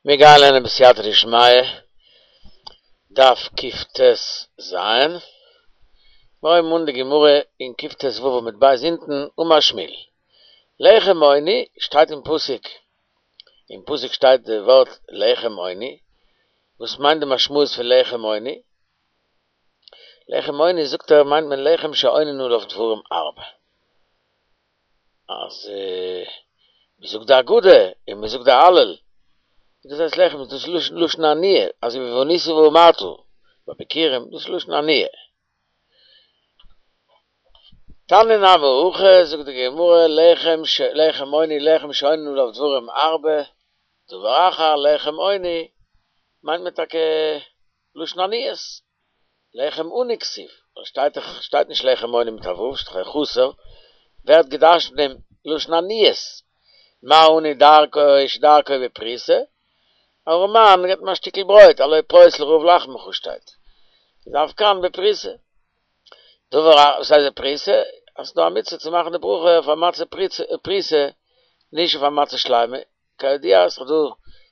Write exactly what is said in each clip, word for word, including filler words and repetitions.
מיר גייען לערנען בסייעתא דשמיא, דף קט"ז, מיר הויבן אן די גמרא אין קט"ו עמוד ב' אונטן, אמר שמואל, לחם עוני שטייט אין פסוק, אין פסוק שטייט די ווארט לחם עוני, וואס מיינט די משמעות פון לחם עוני? לחם עוני זאגט ער מיינט מען לחם שעונין עליו דברים הרבה. אז מען זאגט די הגדה און מען זאגט די הלל, דאס הייסט לחם, דאס איז לשון עניה, אזוי ווי וענית ואמרת ביי ביכורים, דאס איז לשון עניה. תניא נמי הכי, זאגט די גמרא, לחם לחם עוני לחם שעונין עליו דברים הרבה, דבר אחר לחם עוני, מיינט מען טאקע לשון עניות, לחם עני כתיב, שטייט דאך שטייט נישט לחם עוני מיט א ו', שטייט דאך חסר, ווערט געדרשנט דעם לשון עניות, מה עני דרכו שדרכו בפרוסה, ארעמאן געבט מען א שטיקל ברויט, הלא פרוס לרעב לחמך שטייט, איז אף כאן בפרוסה. דבר א, וואס הייסט בפרוסה? אז ס'דא א מצוה צו מאכן די ברכה אויף א מצה פרוסה, נישט אויף א מצה שלימה, כידוע איז דאך דא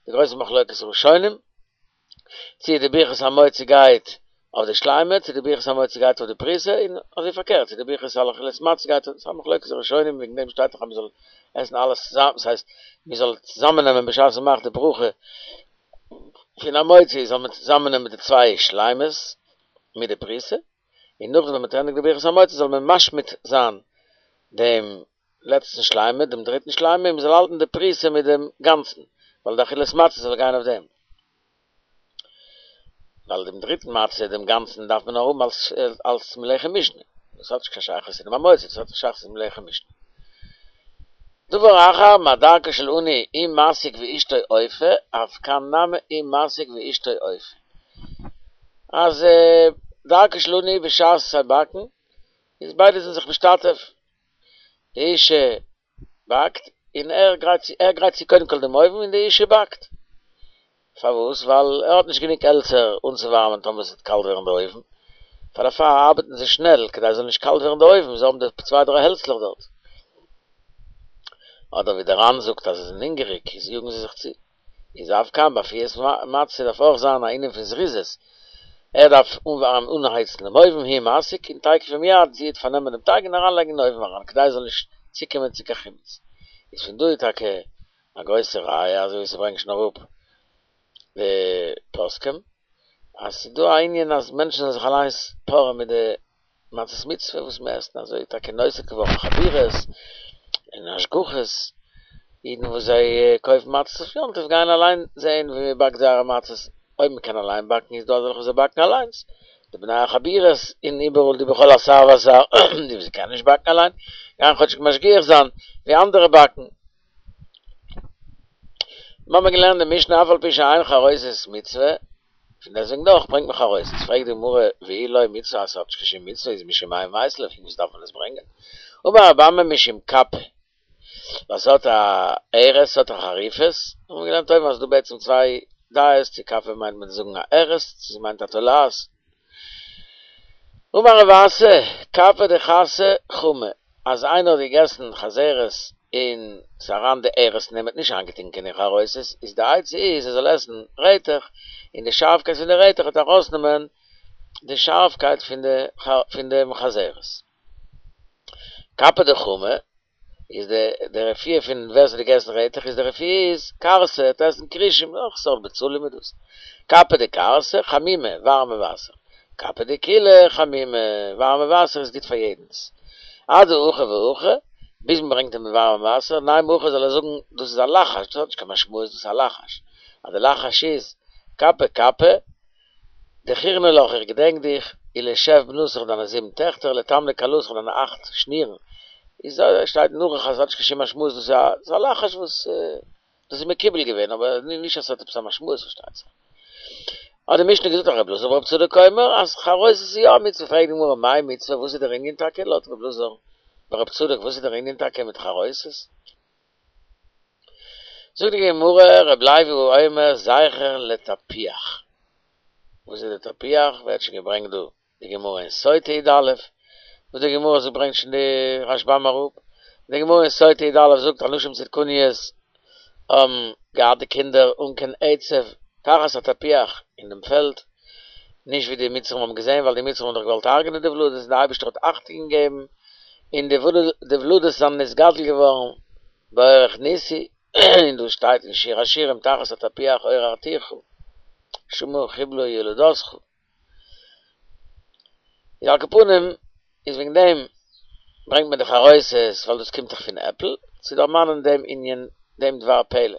די גרויסע מחלוקת ראשונים, צי די ברכת המוציא גייט אויף די שלימה, צי די ברכת המוציא גייט אויף די פרוסה, און אזוי פארקערט, צי די ברכת על אכילת מצה גייט אויף, ס'איז א מחלוקת ראשונים, וועגן דעם שטייט דאך אז מ'זאל עסן אלעס צוזאמען, ס'הייסט מ'זאל צוזאמען נעמען בשעת מ'מאכט די ברכה פון המוציא זאל מען צוזאמען נעמען די צוויי שלימות מיט די פרוסה, און נאכדעם ווען מ'האט ענדיגט די ברכת המוציא זאל מען משמיט זיין דעם לעצטן שלימה, דעם דריטן שלימה, און מ'זאל האלטן די פרוסה מיט דעם גאנצן, ווייל די אכילת מצה זאל גיין אויף דעם. ווייל דעם דריטן מצה, דעם גאנצן, דארף מען נאר האבן אלס אלס מלחם משנה, דאס האט נישט קיין שייכות צו דעם המוציא, דאס האט א שייכות צום לחם משנה. דבר אחר, מה דרכו של עני הוא מסיק ואשתו אופה, אף כאן נמי הוא מסיק ואשתו אופה. אז דרכו של עני בשעת זיי באקן, איז ביידע זענען זיך משתתף, די אישה באקט און ער גרייט צו, ער גרייט צו קודם כל דעם אויוון און די אישה באקט. פארוואס? ווייל ער האט נישט גענוג העלצער אנצואווארעמען טאמער עס וועט קאלט ווערן די אויוון, פאר דערפאר ארבעטן זיי שנעל כדי עס זאל נישט קאלט ווערן די אויוון, זיי האבן די צוויי דריי העלצלעך דארט. אדער ווי דער ר"ן זאגט אז זיי זענען הונגעריג איז יאגן זיי זיך צו. איז אף כאן ביי אפיית מצה דארף אויך זיין א ענין פון זריזות, ער דארף אנווארעמען אנהייצן דעם אויוון הוא מסיק און תיכף ומיד זי וועט פארנעמען דעם טייג און אריינלייגן אין אויוון אריין כדי עס זאל נישט צוקומען צו קיין חימוץ. איז פון דא איז טאקע א גרויסע ראיה אזוי ווי ס'ברענגט שוין אראפ די פוסקים אז ס'איז דא א ענין אז מענטשן זאלן זיך אליינס פארען מיט די מצות מצוה וואס מען עסט, אזוי איז טאקע נוסד געווארן חבורות און השגחות, אידן וואס זיי קויפן מצות אויף יום טוב גייען אליין זען ווי מען באקט זייערע מצות, אויב מען קען אליין באקן איז דא אזעלכע וואס זיי באקן אליינס, די בני החבורות און איבעראל די בכל אתר ואתר, די וואס קענען נישט באקן אליין גייען כאטשיג משגיח זיין ווי אנדערע באקן. מיר האבן געלערנט די משנה אף על פי שאין חרוסת מצוה, פון דעסוועגן דאך ברענגט מען חרוסת, פרעגט די גמרא ואי לא מצוה אז ס'האט נישט קיין שום מצוה איז משום מאי מייתי לה פון וואס דארף מען עס ברענגען? אמר רבי אמי משום קפא ווייל ס'האט א ארס ס'האט א חריפות, האבן מיר געלערנט אויבן אז ס'דא בעצם צוויי דעות צו קפא מיינט מען זאגן א ארס צו ס'מיינט א תולעת. אמר רב אסי, קפא דחסא חמא, אז איינער האט געגעסן חזרת און ס'איז אריין די ארס אין אים האט נישט איינגעטונקען אין חרוסת, איז די עצה איז ער זאל עסן רעטעך, און די שארפקייט פון די רעטעך וועט ארויסנעמען די שארפקייט פון די פון דעם חזרת. קפא דחמא, איז די די רפואה פון ווער ס'האט געגעסן רעטעך איז די רפואה איז כרסא, ער וועט עסן כרישים, נאך סארט בצלים איז דאס. קפא דכרסא, חמימא, ווארעמע וואסער. קפא דכולא, חמימא, ווארעמע וואסער איז גוט פאר יעדנס. אדהכי והכי, ביז מ'ברענגט אים ווארעמע וואסער, נימא הכי זאל ער זאגן דאס איז א לחש, דאס האט נישט קיין משמעות, דאס איז א לחש. אז די לחש איז, קפא קפא, דכירנא לך איך געדענק דיך, ולשב בנתיך דיינע זיבן טעכטער, לתמני כלתיך דיינע אכט שנירן, איז שטייט אין ערוך אז ס'האט נישט קיין שום משמעות דאס איז א לחש וואס דאס איז מקובל געווען אבער נישט אז ס'האט עפעס א משמעות פארשטייט זיך. האט די משנה געזאגט אז ר' אלעזר בר' צדוק אומר אז חרוסת איז יא א מצוה פרעגט די גמרא מאי מצוה וואס איז דער ענין טאקע לויט ר' אלעזר בר' צדוק וואס איז דער ענין טאקע מיט חרוסת? זאגט די גמרא ר' לוי אומר זכר לתפוח, וואס איז די תפוח? ווערט שוין געברענגט דא די גמרא אין סוטה י"א, וואס די גמרא זאגט ברענגט שוין די רשב"ם אראפ, די גמרא אין סוטה י"א זאגט אז נשים צדקניות האבן געהאט די קינדער אן קיין עצב תחת התפוח אין דעם פעלד, נישט ווי די מצרים האבן געזען, ווייל די מצרים האבן דאך געוואלט הרג'נען די ולדות, און דער אייבערשטער האט אכטונג געגעבן, און די ולדות זענען נתגדל געווארן באורח ניסי, און דאס שטייט אין שיר השירים תחת התפוח עוררתיך, שמה חבלה ילדתך. איז על כל פנים איז וועגן דעם ברענגט מען די חרוסת ווייל דאס קומט דאך פון עפל, צו דערמאנען דעם ענין דעם דבר פלא.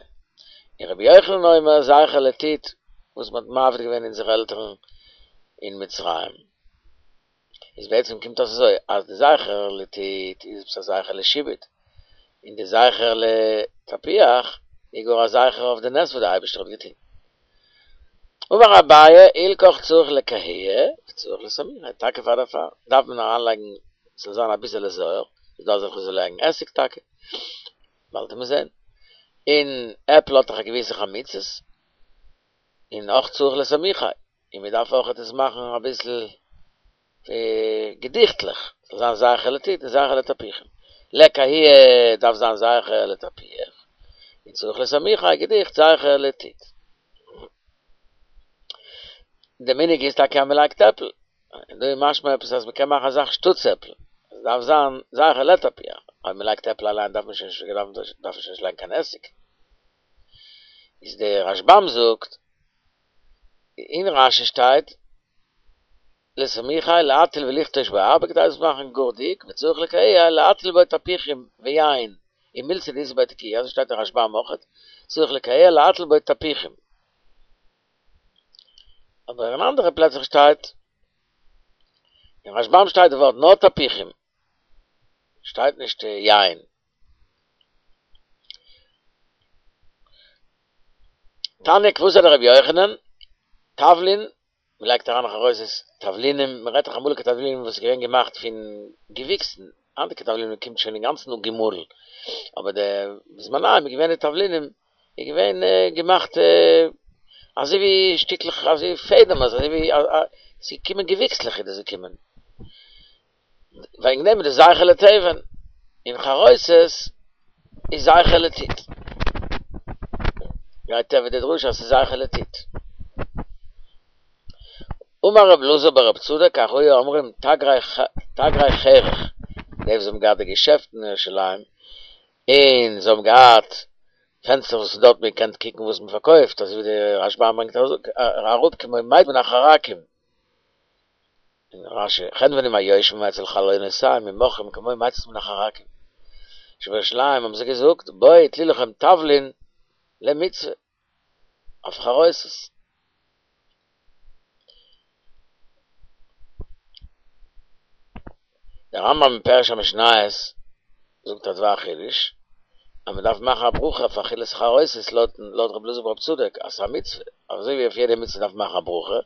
און רבי יוחנן אומר זכר לטיט וואס מען האט מעביר געווען אונזערע עלטערן אין מצרים. איז בעצם קומט אויס אזוי אז די זכר לטיט איז עפעס א זכר לשעבוד, און די זכר לתפוח איז גאר א זכר אויף די נס וואס די אייבערשטער האט געטון. אמר אביי הלכך צריך לקהויי וצריך לסמוכי, טאקע פאר דערפאר דארף מען אריינלייגן ס'זאל זיין אביסעלע זויער, ס'איז דא אזעלכע וואס לייגן עסיג טאקע, באלד וועט מען זען, און עפל האט דאך א געוויסע חמיצות, און אויך צריך לסמוכי, און מען דארף אויך עס מאכן אביסל געדיכטליך, ס'זאל זיין זכר לטיט און זכר לתפוחים, לקהויי דארף זיין זכר לתפוח, און צריך לסמוכי געדיכט זכר לטיט. די מנהג איז טאקע אז מען לייגט עפל, און דא איז משמע עפעס אז מען קען מאכן א זאך שטאטס עפל, עס דארף זיין זכר לתפוח, אויב מען לייגט עפל אליין דארף מען שוין נישט דארף מען שוין נישט לייגן קיין עסיג. איז דער רשב"ם זאגט, אין רש"י שטייט, לסמוכי להטיל ולכתוש בו הרבה כדי עס מאכן גאר דיק, וצריך לקהויי להטיל בו תפוחים ויין, ומילתא דאיתא ביה תקיעא, אזוי שטייט אין רשב"ם אויכעט, צריך לקהויי להטיל בו תפוחים. אבער אין אנדערע פלעצער שטייט, אין רשב"ם שטייט די ווארט נאר תפוחים, שטייט נישט יין. תניא כוותיה דרבי יוחנן, תבלין, מען לייגט אריין חרוסת תבלינים, מען רעדט דאך אמאליגע תבלינים וואס איז געווען געמאכט פון געוויקסן, היינטיגע תבלינים קומט שוין אינגאנצן אפגעמאלן, אבער די בזמנם איז געווען די תבלינים איז געווען געמאכט אזוי ווי שטיקלעך אזוי ווי פעדעם אזוי ווי ס'איז געקומען געוויקסלעך איז דאס געקומען, וועגן דעם איז דאס זכר לתבן, און חרוסת איז זכר לטיט. גייט טבע די דרשה אז ס'איז זכר לטיט. אמר רב אלעזר בר רב צדוק כך היו אומרים תגרי חרך, די וואס האבן געהאט די געשעפטן אין ירושלים, און זיי האבן געהאט פענסטער וואס דארט מען קען קוקן וואס מען פארקויפט, אזוי ווי די רשב"ם ברענגט אראפ כמו מיצים מן החרכים, און רש"י, חנוונים היושבים אצל חלונותיהם ומוכרים כמו מציץ מן החרכים. שבירושלים האבן זיי געזאגט, בואו טלו לכם תבלין למצוה, אויף חרוסת. דער רמב"ם אין פירוש המשניות זאגט א דבר חידוש, אז מען דארף מאכן א ברכה אויף אכילת חרוסת לויט רבי אלעזר ברב צדוק אז ס'איז א מצוה, אזוי ווי אויף יעדע מצוה דארף מען מאכן א ברכה,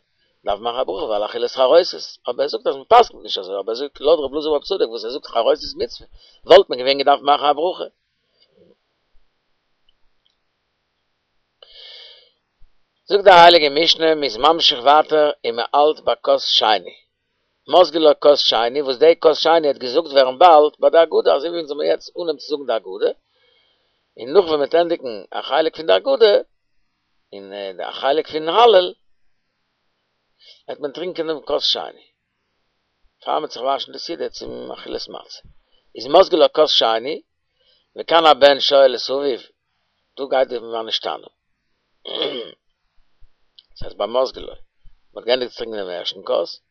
דארף מען מאכן א ברכה ועל אכילת חרוסת, אבער ער זאגט אז מען פסק'נט נישט אזוי, אבער ער זאגט לויט רבי אלעזר ברב צדוק וואס ער זאגט חרוסת מצוה, וואלט מען געווען געדארפט מאכן א ברכה. זאגט די הייליגע משנה, מען איז ממשיך ווייטער און מען האלט ביי כוס שני, מוזגין לו כוס שני, וואס די כוס שני האט געזאגט ווערן באלד ביי די הגדה, אזוי ווי אונז זאל מיר יעצט אנהייבן צו זאגן די הגדה, און נאך ווען מען וועט ענדיגן א חלק פון די הגדה, און א חלק פון הלל, וועט מען טרינקען דעם כוס שני, פאר מען וועט זיך וואשן די סעודה צום אכילת מצה, איז מוזגין לו כוס שני, וכאן הבן שואל את אביו, דא גייט די מה נשתנה. דאס הייסט ביי מוזגין לו, מען האט געענדיגט צו טרינקען דעם ערשטן כוס,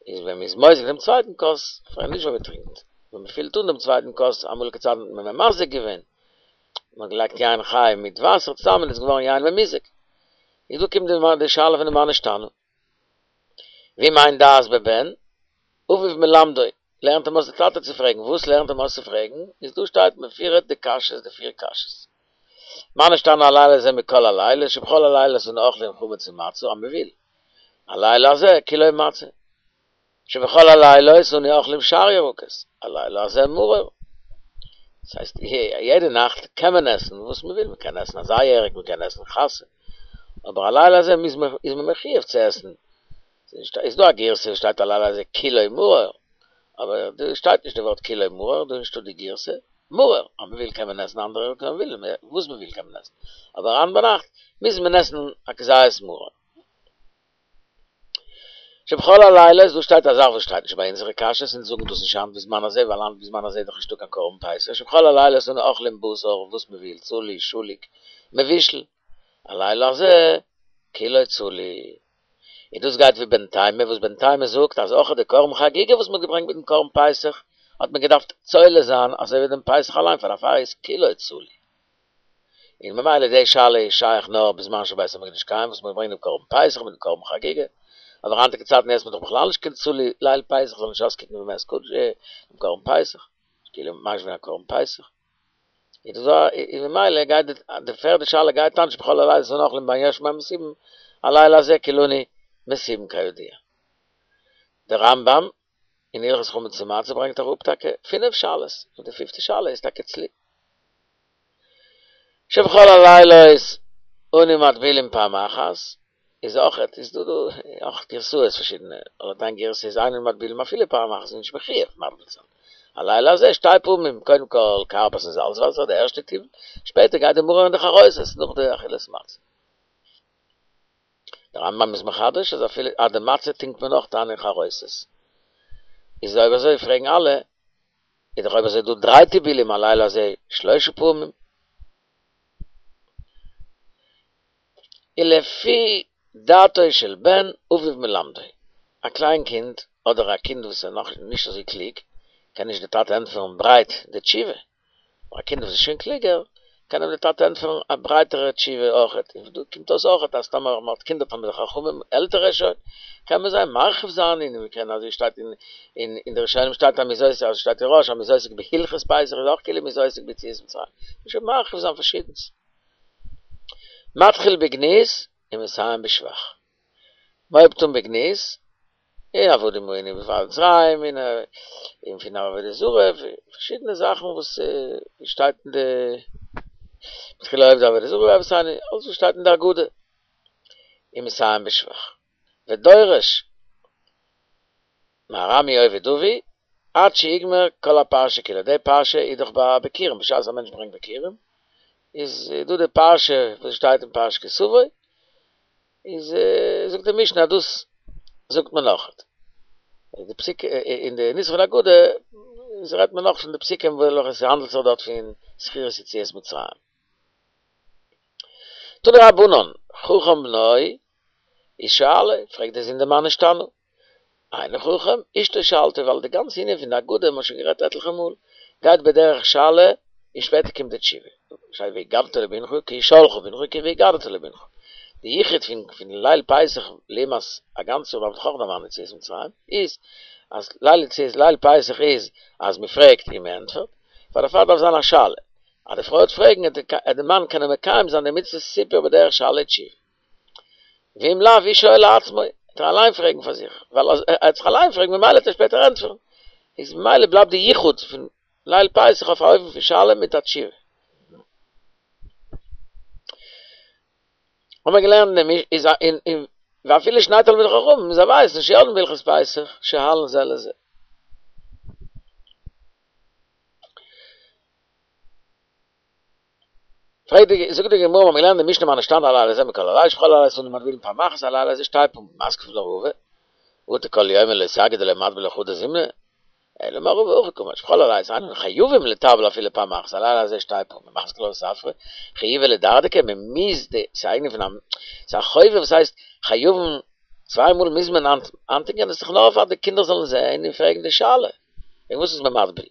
איז ווען מען איז מוזג דעם צווייטן כוס, פאר נישט ווען מען טרינקט, ווען מען פילט אן דעם צווייטן כוס, אמאליגע צייטן האט מען ממזג געווען, מען האט געלייגט יין חי מיט וואסער צוזאמען איז געווארן יין ממוזג. איז דא קומט די שאלה פון די מה נשתנה. ואם אין דעת בבן, אביו מלמדו, לערנט אים אויס די טאטע צו פרעגן, וואס לערנט אים אויס צו פרעגן, איז דא שטייט מפורט די קשיות די פיר קשיות. מה נשתנה הלילה הזה מכל הלילות, שבכל הלילות אנו אוכלים חמץ ומצה, אז מ'וויל, הלילה הזה כולו מצה. שבכל הלילות אנו אוכלים שאר ירקות, הלילה הזה מרור. דאס הייסט, יעדע נאכט קען מען עסן וואס מען וויל, מען קען עסן אזא ירק, מען קען עסן חסה, אבער הלילה הזה איז מען מחיוב צו עסן. איז דא א גירסא וואס שטייט הלילה הזה כולו מרור, אבער דא שטייט נישט די ווארט כולו מרור, דא איז נישטא די גירסא. מרור, אז מ'וויל קען מען עסן אנדערע קען וויל וואס מ'וויל קען מען עסן, אבער היינט ביינאכט מוז מען עסן א כזית מרור. שבכל הלילות, דא שטייט א זאך וואס שטייט נישט ביי אונזערע קשיות, אונז זאגן דאס נישט היינט בזמן הזה, ווייל היינט בזמן הזה איז דאך נישטא קיין קרבן פסח, שבכל הלילות אנו אוכלים בשר, וואס מ'וויל, צלי, שלוק, מבושל, הלילה הזה כולו צלי. און דאס גייט ווי בן תימא, וואס בן תימא זאגט אז אויך די קרבן חגיגה וואס מ'האט געברענגט מיטן קרבן פסח, האט מען געדארפט צולה זיין אזוי ווי דעם פסח אליין, פאר דערפאר איז כולו צלי. און ממילא די שאלה איז שייך נאר בזמן שבית המקדש קיים וואס מ'האט געברענגט דעם קרבן פסח מיטן קרבן חגיגה, אבער היינטיגע צייטן עסט מען דאך בכלל נישט קיין צלי ליל פסח זאל נישט אויסקוקן ווי מ'עסט קודש דעם קרבן פסח, כאילו משווה א קרבן פסח. איז דאס א איז ממילא גייט די די פערדע שאלה גייט אן שבכל הלילות אנו אוכלים בין יש ובין מסובין, הלילה הזה כולנו מסובין כידוע. דער רמב"ם אין הלכות חמץ ומצה ברענגט אראפ טאקע פינף שאלות, און די פיפטע שאלה איז טאקע צלי. שבכל הלילות אנו מטבילין פעם אחת, איז אויכעט איז דא דא אויך גירסאות פארשידענע, לויט איין גירסא איז אין מטבילין אפילו פעם אחת איז נישט מחויב מטביל זיין. הלילה הזה שתי פעמים, קודם כל כרפס און זאלץ וואסער די ערשטע טיבול, שפעטער גייט די מרור און די חרוסת נאך די אכילת מצה. דער רמב"ם איז מחדש אז אפילו אז די מצה טונקט מען אויך איין אין חרוסת. איז אויב אזוי פרעגן אלע, איז דאך אויב אזוי דא דריי טיבולים הלילה הזה שלושה פעמים. ולפי דעתו של בן אביו מלמדו, א קליין קינד אדער א קינד וואס איז נאך נישט אזוי קלוג, קען נישט די טאטע ענטפערן ברייט די תשובה, אבער א קינד וואס איז שוין קלוגער, קען אים די טאטע ענטפערן א ברייטערע תשובה אויכעט, און דא קומט אויס אויכעט אז טאמער מען האט קינדער תלמידי חכמים עלטערע שוין, קען מען זיי מרחיב זיין און מען קען אזוי שטייט אין אין די ראשונים שטייט אז מ'איז עוסק אזוי שטייט אין רא"ש אז מ'איז עוסק בהלכות פסח איז אויך כאילו מ'איז עוסק ביציאת מצרים, מען שוין מרחיב זיין פארשידענס. מתחיל בגנות ומסיים בשבח. מ'הויבט אן בגנות, און עבדים היינו במצרים, און און פון עבודה זרה, פארשידענע זאכן וואס שטייט אין די מתחילה עובדי עבודה זרה ואבותינו, אלעס וואס שטייט אין די הגדה, ומסיים בשבח. ודורש מארמי אובד אבי, עד שיגמר כל הפרשה כולה, די פרשה איז דאך ביי ביכורים, בשעת א מענטש ברענגט ביכורים, איז דא די פרשה וואס שטייט אין פרשת כי תבוא, איז זאגט די משנה אז דאס זאגט מען נאך. די פסוק אין די נוסח פון הגדה איז רעדט מען נאך פון די פסוקים וועלכע עס האנדלט זיך דארט פון זכירת יציאת מצרים. תנו רבנן, חכם בנו איז שואלו, פרעגט דער זון די מה נשתנה. אינו חכם, אשתו שואלתו, ווייל די גאנצע ענין פון די הגדה, מ'האט שוין גערעדט עטליכע מאל, גייט בדרך שאלה און שפעטער קומט די תשובה. שטייט והגדת לבנך כי ישאלך בנך כי והגדת לבנך. די יחוד פון פון ליל פסח לעומת א גאנץ יאר דארף מען דאך אויך דערמאנען יציאת מצרים, איז אז ליל יציאת ליל פסח איז אז מ'פרעגט און מ'ענטפערט, פאר דערפאר דארף זיין א שאלה, אז די פרוי וועט פרעגן וועט די מאן קענען מקיים זיין די מצוות סיפור בדרך שאלה ותשובה. ואם לאו הוא שואל לעצמו, וועט ער אליין פרעגן פאר זיך, ווייל אז ער וועט זיך אליין פרעגן ממילא וועט ער שפעטער ענטפערן, איז ממילא בלייבט די יחוד פון ליל פסח אויף א אופן פון שאלה מיט א תשובה. האבן מיר געלערנט אין די איז אין אין ואפילו שני תלמידי חכמים זיי ווייסן שיודעים בהלכות פסח שואלין זה לזה. פרעגט די זאגט די גמרא מיר געלערנט די משנה מה נשתנה הלילה הזה מכל הלילות שבכל הלילות אנו מטבילין פעם אחת הלילה הזה שתי פעמים מתקיף לה רבא אטו כל יומא לא סגי דלא מטביל חדא זימנא אלא אמר רבא הכי קאמר שבכל הלילות אין אנו חייבים לטבל אפילו פעם אחת הלילה הזה שתי פעמים מתקיף לה רב ספרא חיובא לדרדקי מען מוז די ס'איז א ענין פון א ס'איז א חובה וואס הייסט חייבים צוויי מאל מוז מען איינטונקען דאס איז דאך נאר פאר די קינדער זאלן זען און פרעגן די שאלה וועגן וואס איז מען מטביל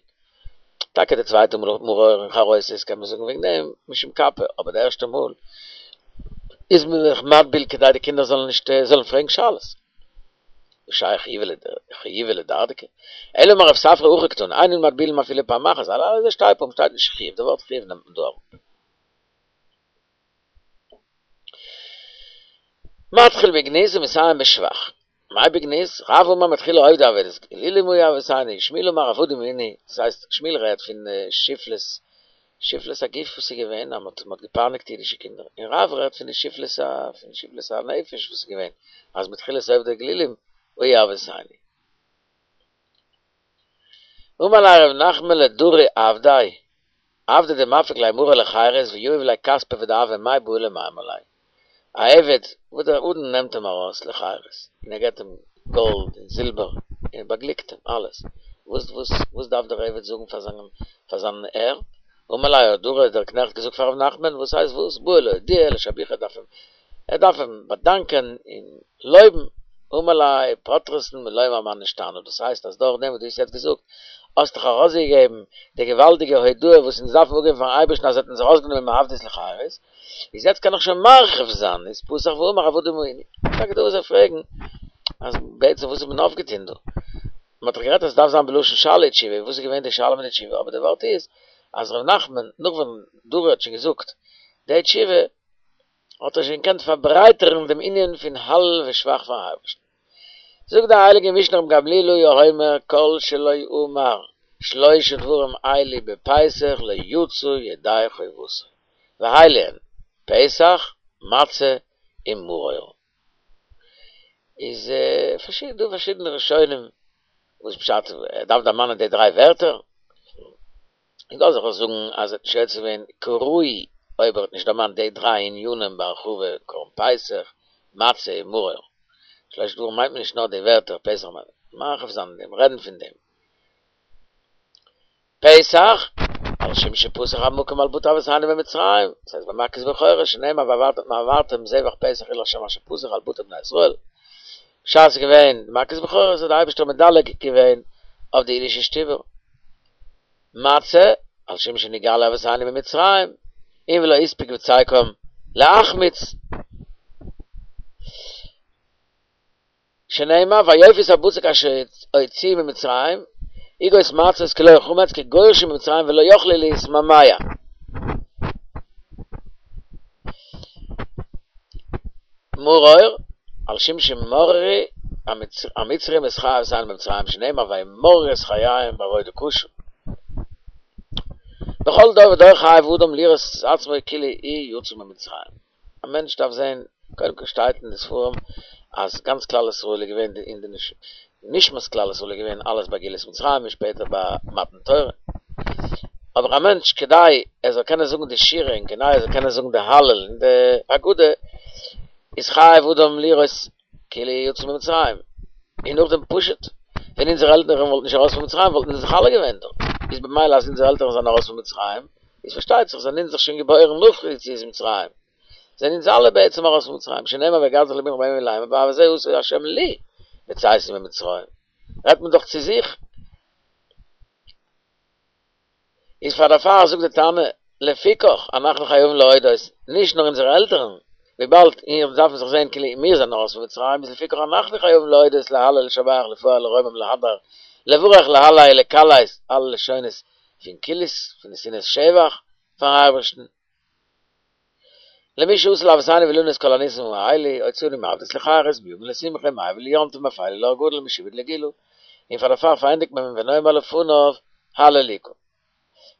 טאקע די צווייטע מאל מרור און חרוסת קען מען זאגן וועגן דעם משום קפא, אבער די ערשטע מאל איז מען זיך מטביל כדי די קינדער זאלן נישט זאלן פרעגן שאלות. וואס שייך חיובא לדרדקי? אלא אמר רב ספרא הכי קתני, אין אנו מטבילין אפילו פעם אחת, הלילה הזה שתי פעמים שטייט נישט חיוב, די ווארט חיוב נעמט מען דא אראפ. מתחיל בגנות ומסיים בשבח. מאי בגנות? רב אמר מתחילה עובדי עבודת אלילים היו אבותינו, שמואל אמר עבדים היינו, דאס הייסט שמואל רעדט פון שפלות, שפלות הגוף וואס איז געווען אז מען האט געפייניגט אידישע קינדער, און רב רעדט פון די שפלות ה פון שפלות הנפש וואס איז געווען אז מתחילת עובדי אלילים היו אבותינו. אמר ליה רב נחמן לדרי עבדיה, עבדא דמפיק ליה מריה לחירות ויהיב ליה כספא ודהבא מאי בעי למימר ליה. א עבד וואס דער אדון נעמט אים ארויס לחירות און ער געבט אים גאלד און זילבער און באגליקט אים אלעס, וואס וואס וואס דארף דער עבד זאגן פאר זיין פאר זיין הער? אמר ליה האט דרא דער קנעכט געזאגט פאר ר' נחמן, וואס הייסט וואס? בעי לאודויי לשבוחי דארף אים ער דארף אים באדאנקען און לויבן, אמר ליה פטרתן מלומר מה נשתנה, דאס הייסט אז דורך דעם וואס דו האסט יעצט געזאגט האסט דאך ארויסגעגעבן די געוואלדיגע הודאה וואס אונז דארפן אפגעבן פארן אייבערשטן אז ער האט אונז ארויסגענומען מעבדות לחירות, איז יעצט קען איך שוין מרחיב זיין, איז פתח ואמר עבדים היינו. טאקע דא וואס זיי פרעגן אז בעצם וואס האט מען אויפגעטון דא? מען האט דאך גערעדט אז עס דארף זיין בלשון שאלה ותשובה, וואס איז געווען די שאלה מיט די תשובה? אבער די ווארט איז אז ר' נחמן נאך ווען דרא האט שוין געזאגט די תשובה האט ער שוין געקענט פארברייטערן דעם ענין פון הלל ושבח פארן אייבערשטן. זאגט די הייליגע משנה רבן גמליאל היה אומר כל שלא אמר שלשה דברים אלו בפסח לא יצא ידי חובתו, ואלו הן, פסח, מצה און מרור. איז דא פארשידענע ראשונים וואס פשט ער דארף דערמאנען די דריי ווערטער, און דא אזעלכע זאגן אז ער האט נישט יוצא געווען כראוי אויב ער האט נישט דערמאנט די דריי ענינים בהרחבה קרבן פסח, מצה און מרור. שלשה דברים מיינט מען נישט נאר די ווערטער פסח מרחיב זיין אין דעם, רעדן פון דעם. פסח, על שום שפסח המקום על בתי אבותינו במצרים, דאס הייסט ביי מכת בכורות שנאמר והעברתם זבח פסח הוא לה' אשר פסח על בתי בני ישראל, בשעת ס'איז געווען די מכת בכורות האט די אייבערשטער מדלג געווען אויף די אידישע שטובער. מצה, על שום שנגאלו אבותינו ממצרים, און ולא הספיק בצקם להחמיץ. שנאמר ויאפו את הבצק אשר הוציאו ממצרים, עוגות מצות כלא חמץ כי גורשו ממצרים ולא יכלו להתמהמה. מרור, על שום שמררו המצרים את חיי אבותינו במצרים שנאמר וימררו את חייהם בעבודה קשה. בכל דור ודור חייב אדם לראות את עצמו כאילו הוא יצא ממצרים. א מענטש דארף זען, קודם כל שטייט אין די ספרים אז גאנץ כלל ישראל איז געווען אין די נשמת כלל ישראל איז געווען אלעס ביי גאולת מצרים און שפעטער ביי מתן תורה. אבער א מענטש כדי ער זאל קענען זאגן די שירה און כדי ער זאל קענען זאגן די הלל און די הגדה איז חייב אדם לראות כאילו יצא ממצרים. און נאכדעם פשוט, ווען אונזערע עלטערן וואלטן נישט ארויס פון מצרים וואלטן אונז דאך אלע געווען דארט. איז במילא אז אונזערע עלטערן זענען ארויס פון מצרים, איז פארשטייט זיך זענען אונז דאך שוין געבוירן נאך יציאת מצרים. זענען אונז אלע בעצם ארויס פון מצרים, שנאמר והגדת לבנך בימים ההם לאמר בעבור זה עשה ה' לי בצאתי ממצרים, רעדט מען דאך צו זיך, איז פאר דערפאר זאגט די תנא, לפיכך אנחנו חייבים להודות, נישט נאר אונזערע עלטערן, וויבאלד מיר דארפן זיך זען כאילו מיר זענען ארויס פון מצרים, איז לפיכך אנחנו חייבים להודות להלל לשבח לפאר לרומם להדר לברך להלל לקלס, אלע לשונות פון קילוס, פון נתינת שבח פארן אייבערשטן. למי שעשה לאבותינו ולנו את כל הניסים האלה, הוציאנו מעבדות לחירות, מיגון לשמחה, מאבל ליום טוב, מאפילה לאור גדול, משעבוד לגאולה, און פאר דערפאר פארענדיגט מען ונאמר לפניו הללוקה.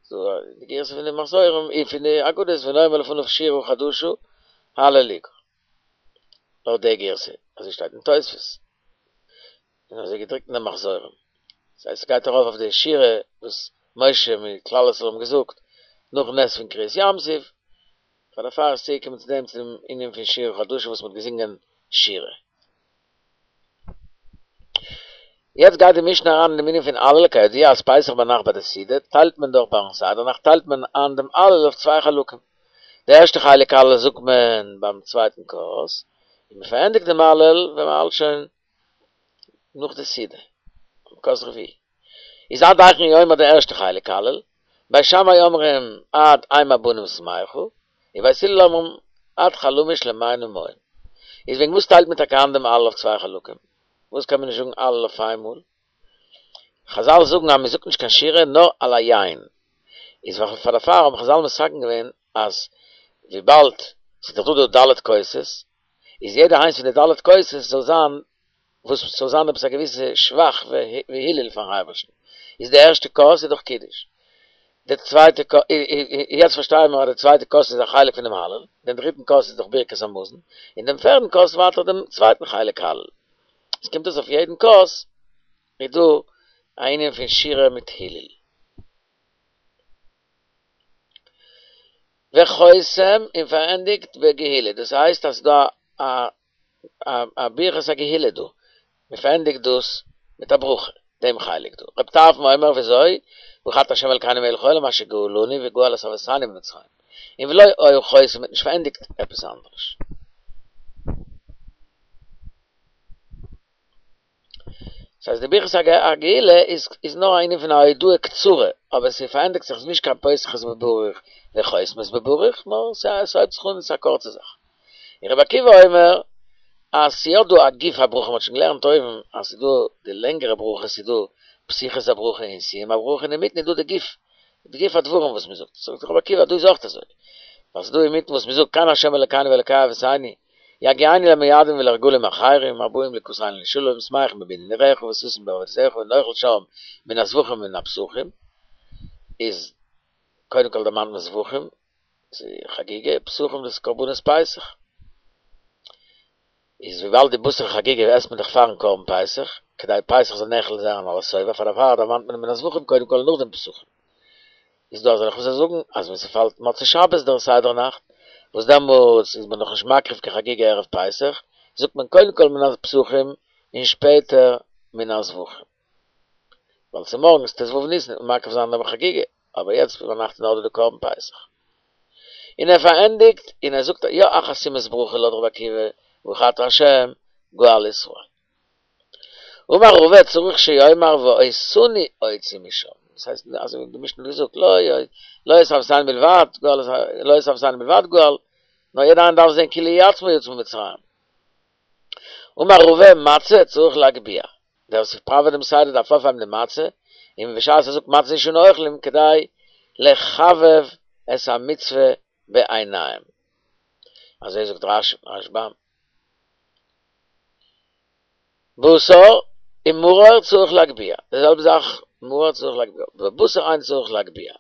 ס'דא די גירסא פון די מחזורים און פון די הגדות ונאמר לפניו שירה חדשה הללוקה. לויט די גירסא, אזוי שטייט אין תוספות. און אזוי געדרוקט אין די מחזורים. דאס הייסט ס'גייט ארויף אויף די שירה וואס משה מיט כלל ישראל האבן געזאגט נאכן נס פון קריעת ים סוף, פאר דערפאר איז צוגעקומען צו דעם צו דעם ענין פון שירה חדשה וואס מ'האט געזינגען שירה. יעצט גייט די משנה אריין אין דעם ענין פון הלל, כידוע אז פסח ביינאכט ביי די סעודה טיילט מען דאך ביים סדר נאכט טיילט מען איין דעם הלל אויף צוויי חלקים, די ערשטע חלק הלל זאגט מען ביים צווייטן כוס, און מ'פארענדיגט דעם הלל ווען מ'האלט שוין נאך די סעודה, כוס רביעי, איז עד היכן הוא אומר די ערשטע חלק הלל, בית שמאי אומרים עד אם הבנים שמחה, און בית הלל אומרים עד חלמיש למעינו מים. איז וועגן וואס טיילט מען טאקע איין דעם הלל אויף צוויי חלקים? וואס קען מען נישט זאגן הלל אויף איינמאל? חזל זאגן אז מען זאגט נישט קיין שירה נאר על היין. איז פאר דערפאר האבן חזל מתקן געווען אז וויבאלד ס'איז דאך דא דא ד' כוסות, איז יעדע איינס פון די ד' כוסות זאל זיין וואס ס'זאל זיין עפעס א געוויסע שבח והילל פארן אייבערשטן, איז די ערשטע כוס איז דאך קידוש, די צווייטע כוס, יעצט פארשטייען מיר אז די צווייטע כוס איז א חלק פונעם הלל, דעם דריטן כוס איז דאך ברכת המזון, און דעם פערדן כוס ווייטער דעם צווייטן חלק הלל. עס קומט אויס אויף יעדן כוס איז דא א ענין פון שירה מיט הילול. וחותם און פארענדיגט בגאולה, דאס הייסט אז ס'דא א א ברכת הגאולה דא, מען פארענדיגט דאס מיט א ברכה, דעם חלק דא. רב טרפון אומר וויאזוי, ברוך אתה ה' אלקינו מלך העולם אשר גאלנו וגאל את אבותינו ממצרים, און ולא היה חותם מ'האט נישט פארענדיגט עפעס אנדערש. דאס הייסט די ברכת הגאולה איז איז נאר א ענין פון א הודאה קצרה, אבער ס'פארענדיגט זיך נישט קיין פותחת בברוך וחותמת בברוך, נאר ס'הויבט זיך אן, ס'איז א קורצע זאך. און רבי עקיבא אומר אז ס'יא דא א גוף הברכה, מ'האט שוין געלערנט אויבן אז ס'איז דא די לענגערע ברכה, ס'איז דא פתיחת הברכה און סיום הברכה, און אינמיטן איז דא די גוף, די גוף הדברים וואס מ'זאגט, זאגט רבי עקיבא דא איז אויך אזוי, ווייל ס'איז דא אינמיטן וואס מ'זאגט כאן ה' אלקינו ואלקי אבותינו, יגיענו למועדים ולרגלים אחרים, הבאים לקראתנו לשלום, שמחים בבניין עירך וששים בעבודתך ונאכל שם מן הזבחים ומן הפסחים, איז קודם כל דערמאנט מען זבחים, ס'איז חגיגה, פסחים דאס איז קרבנות פסח. איז וויבאלד די בשר חגיגה עסט מען דאך פארן קרבן פסח, כדי פסח זאל נאכל זיין על השובע, פאר דערפאר דערמאנט מען מן הזבחים קודם כל און נאכדעם פסחים. איז דא אזעלכע וואס זאגן אז ווען ס'פאלט מוצאי שבת דער סדר נאכט, וואס דעמאלטס איז מען נאכנישט מקריב קיין חגיגה ערב פסח, זאגט מען קודם כל מן הפסחים און שפעטער מן הזבחים. ווייל צומארגנס ט"ו ניסן וועט מען מקריב זיין דעם חגיגה, אבער יעצט ביינאכט איז נאך דא די קרבן פסח. און ער פארענדיגט און ער זאגט יא א חתימת ברכה לויט רבי עקיבא, ברוך אתה ה' גואל ישראל. אמר רבא צריך שיאמר ואותנו הוציא משם, דאס הייסט אזוי ווי די משנה האט געזאגט לא לא את אבותינו בלבד גאל לא את אבותינו בלבד גאל, נאר יעדער איינער דארף זען כאילו הוא עצמו יצא ממצרים. אמר רבא מצה צריך להגביה, דער וואס פראוועט דעם סדר דארף אויפהייבן די מצה, און בשעת ער זאגט מצה זו שאנו אוכלים כדי לחבב את המצוה בעיניהם. אזוי זאגט רשב"ם. בשר ומרור צריך להגביה, די זעלבע זאך מרור צריך להגביה, בבשר אין צריך להגביה.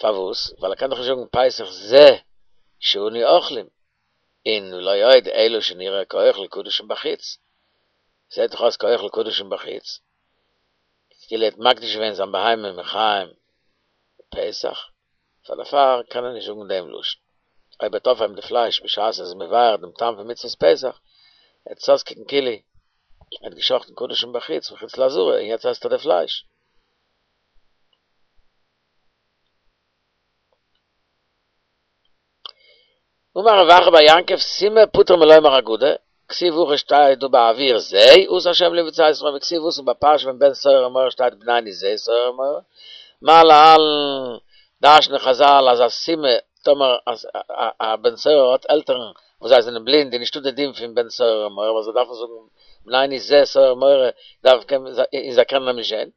פארוואס? ווייל ער קען דאך נישט זאגן פסח זה שאנו אוכלים, און ולא עוד אלא שנראה כאוכל קדשים בחוץ, זעט דאך אויס כאוכל קדשים בחוץ, כאילו ער האט מקדיש געווען זיין בהמה מחיים פסח, פאר דערפאר קען ער נישט זאגן דעם לשון. אויב ער וועט אויפהייבן די פלייש בשעת ער איז מבאר דעם טעם פון מצוות פסח, וועט עס אויסקוקן כאילו ער האט גע'שחט'ן קדשים בחוץ, מחוץ לעזרה, און יעצט עסט ער די פלייש. אמר רב אחא בר יעקב סומא פטור מלומר הגדה, כתיב הכא שטייט דא בעבור זה עשה השם לי בצאת מצרים וכתיב התם בפרשה פון בן סורר ומורה שטייט בנינו זה סורר ומורה, מה להלן דרש'נען חזל אז א סומא טאמער א בן סורר האט עלטערן וואס זיי זענען בלינד איז נישטא די דין פון בן סורר ומורה ווייל זיי דארפן זאגן בנינו זה סורר ומורה און זיי קענען אים נישט זען.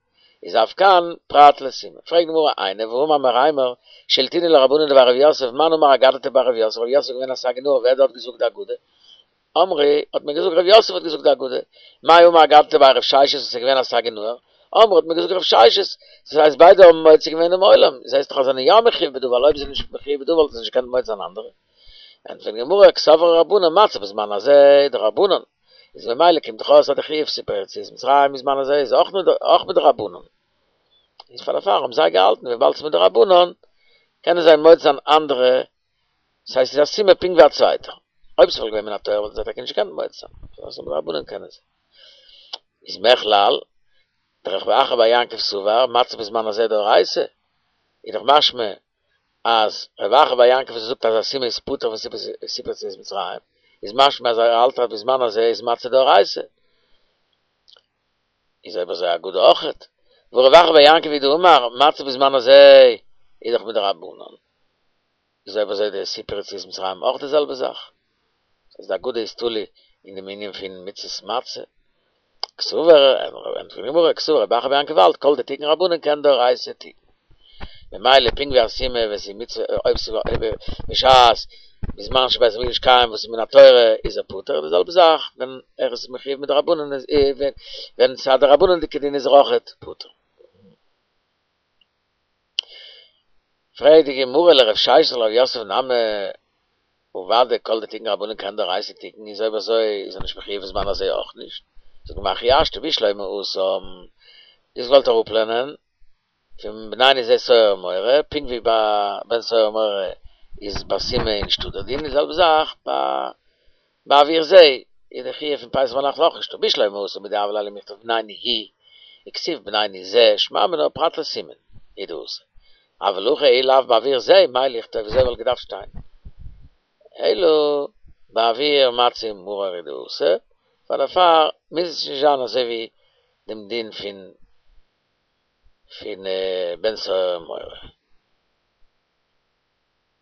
איז אף כאן פרט לסומא. פרעגט די גמרא איני והאמר מרימר שלטינהו לרבנן דבי רב יוסף מאן אמר אגדתא בי רב יוסף רב יוסף איז געווען א סגי נהור ווער האט דארט געזאגט די הגדה? אמרי האט מען געזאגט רב יוסף האט געזאגט די הגדה. מאי אמר אגדתא בי רב ששת וואס איז געווען א סגי נהור? אמרי האט מען געזאגט רב ששת. דאס הייסט ביידע האבן מוציא געווען דעם עולם. זעסט דאך אז זיי זענען יא מחויב בדבר ווייל אויב זיי זענען נישט מחויב בדבר וואלטן זיי נישט געקענט מוציא זיין אנדערע. ענטפערט די גמרא קסברי רבנן מצה בזמן הזה דרבנן. איז ממילא קומט דאך אויס אז די חיוב סיפור יציאת מצרים בזמן הזה איז אויך מדרבנן. איז פאר דערפאר האבן זיי געהאלטן וויבאלד ס'איז מדרבנן קענען זיי מוציא זיין אנדערע, ס'הייסט ס'איז א סומא פונקט ווי א צווייטער. אויב ס'וואלט געווען מן התורה וואלטן זיי טאקע נישט געקענט מוציא זיין, ס'איז מדרבנן קענען זיי. איז מכלל דרב אחא בר יעקב סבר מצה בזמן הזה דאורייתא, איז דאך משמע אז רב אחא בר יעקב וואס זאגט אז א סומא איז פטור פון סיפור יציאת מצרים, איז משמע אז ער האלט אז בזמן הזה איז מצה דאורייתא. איז אויב אזוי אגדה אויכעט. והא רב אחא בר יעקב הוא דאמר מצה בזמן הזה איז דאך מדרבנן. איז אויב אזוי די סיפור יציאת מצרים אויך די זעלבע זאך. אז די אגדה איז תלוי אין דעם ענין פון מצות מצה. קסבר, ענטפערט די גמרא, קסבר רב אחא בר יעקב האלט כל דתיקון רבנן כעין דאורייתא תיקון. ממילא פונקט ווי א סומא ווען ס'איז מצוה אויב ס'איז בשעת בזמן שבית המקדש קיים וואס איז מן התורה איז ער פטור, די זעלבע זאך ווען ער איז מחויב מדרבנן איז ווען ס'איז א דרבנן'דיגע דין איז ער אויכעט פטור. פרעגט די גמרא לרב ששת ולרב יוסף נמי אוודאי כל דתיקון רבנן כעין דאורייתא תיקון איז אויב אזוי איז ער נישט מחויב בזמן הזה אויך נישט, זאגט די גמרא הכי השתא בשלמא התם, דו האסט געוואלט אראפלערנען פון בנייני זה סוהר ומורה, פונקט ווי ביי בן סורר ומורה איז ביי סומא נישטא דער דין, די זעלבע זאך ביי בעבור זה איז די חיוב פון פסח ביינאכט אויך נישטא, בשלמא התם מדהוה ליה למיכתב בנייני הוא וכתיב בנייני זה שמע מינה פרט לסימון הוא דאתא, אבל הכא אי לאו בעבור זה מאי לכתוב וויאזוי וואלט געדארפט שטיין אלא בעבור מצה ומרור הוא דאתא, פאר דערפאר מוז עס נישט זיין אזוי ווי דעם דין פון פון בן סורר ומורה.